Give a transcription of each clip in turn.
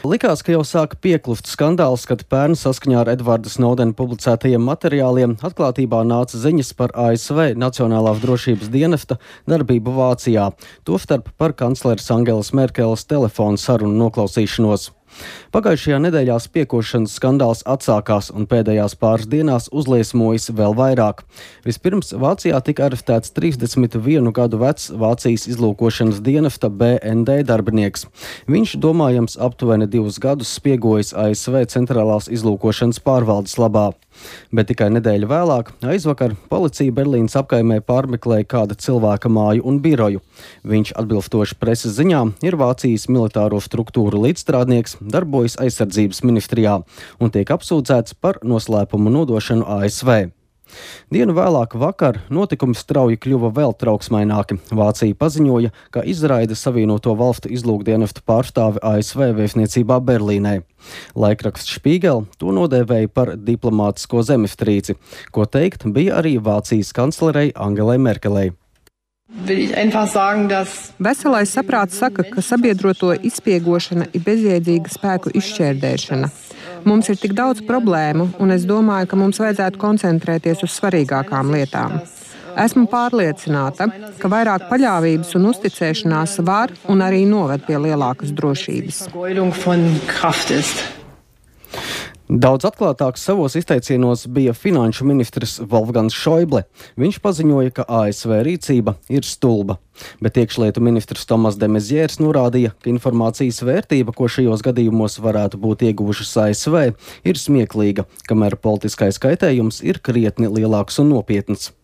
Likās, ka jau sāka piekluft skandāls, kad pērn saskaņā ar Edvarda Snowdena publicētajiem materiāliem atklātībā nāca ziņas par ASV Nacionālās drošības dienesta darbību Vācijā, tostarp par kancleres Angelas Merkeles telefonu sarunu noklausīšanos. Pagājušajā nedēļā spiekošanas skandāls atsākās un pēdējās pāris dienās uzliesmojas vēl vairāk. Vispirms Vācijā tika arestēts 31 gadu vecs Vācijas izlūkošanas dienesta BND darbinieks. Viņš, domājams, aptuveni 2 gadus spiegojis ASV centrālās izlūkošanas pārvaldes labā. Bet tikai nedēļu vēlāk, aizvakar, policija Berlīnas apkaimē pārmeklēja kāda cilvēka māju un biroju. Viņš, atbilstoši preses ziņām, ir Vācijas militāro struktūru līdzstrādnieks, darbojas aizsardzības ministrijā un tiek apsūdzēts par noslēpumu nodošanu ASV. Dienu vēlāk vakar notikumi strauji kļuva vēl trauksmaināki. Vācija paziņoja, ka izraida Savienoto valstu izlūkdienestu pārstāvi ASV vēstniecībā Berlīnē. Laikraksts Spiegel to nodēvēja par diplomātisko zemestrīci, ko teikt bija arī Vācijas kanclerei Angelai Merkelei. Veselais saprāts saka, ka sabiedroto izspiegošana ir bezjēdzīga spēku izšķērdēšana. Mums ir tik daudz problēmu, un es domāju, ka mums vajadzētu koncentrēties uz svarīgākām lietām. Esmu pārliecināta, ka vairāk paļāvības un uzticēšanās var un arī noved pie lielākas drošības. Daudz atklātāks savos izteicienos bija finanšu ministrs Wolfgangs Šoible. Viņš paziņoja, ka ASV rīcība ir stulba. Bet iekšlietu ministrs Tomas de Maizières norādīja, ka informācijas vērtība, ko šajos gadījumos varētu būt ieguvušas ASV, ir smieklīga, kamēr politiskais kaitējums ir krietni lielāks un nopietns.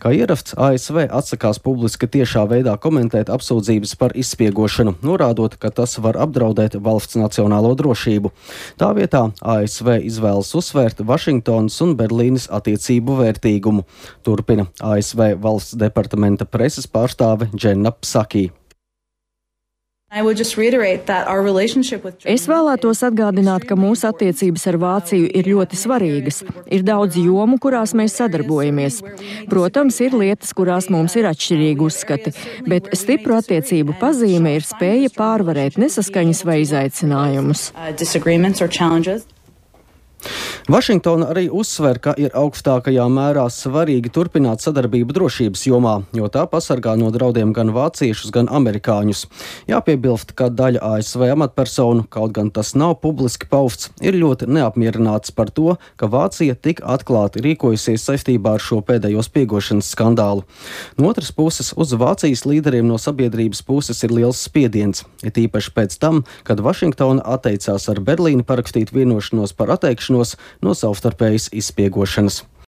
Kā ierasts, ASV atsakās publiski tiešā veidā komentēt apsūdzības par izspiegošanu, norādot, ka tas var apdraudēt valsts nacionālo drošību. Tā vietā ASV izvēlas uzsvērt Vašingtonas un Berlīnes attiecību vērtīgumu, turpina ASV valsts departamenta preses pārstāve Dženna Psaki. Es vēlētos atgādināt, ka mūsu attiecības ar Vāciju ir ļoti svarīgas. Ir daudz jomu, kurās mēs sadarbojamies. Protams, ir lietas, kurās mums ir atšķirīgi uzskati, bet stipru attiecību pazīme ir spēja pārvarēt nesaskaņas vai izaicinājumus. Vašingtona arī uzsver, ka ir augstākajā mērā svarīgi turpināt sadarbību drošības jomā, jo tā pasargā no draudiem gan vāciešus, gan amerikāņus. Jāpiebilst, ka daļa ASV amatpersonu, kaut gan tas nav publiski pausts, ir ļoti neapmierināts par to, ka Vācija tik atklāti rīkojusies saistībā ar šo pēdējo spiegošanas skandālu. No otras puses, uz Vācijas līderiem no sabiedrības puses ir liels spiediens, it īpaši pēc tam, kad Vašingtona atteicās ar Berlīni parakstīt vienošanos par atteikšanos no savstarpējas izspiegošanas.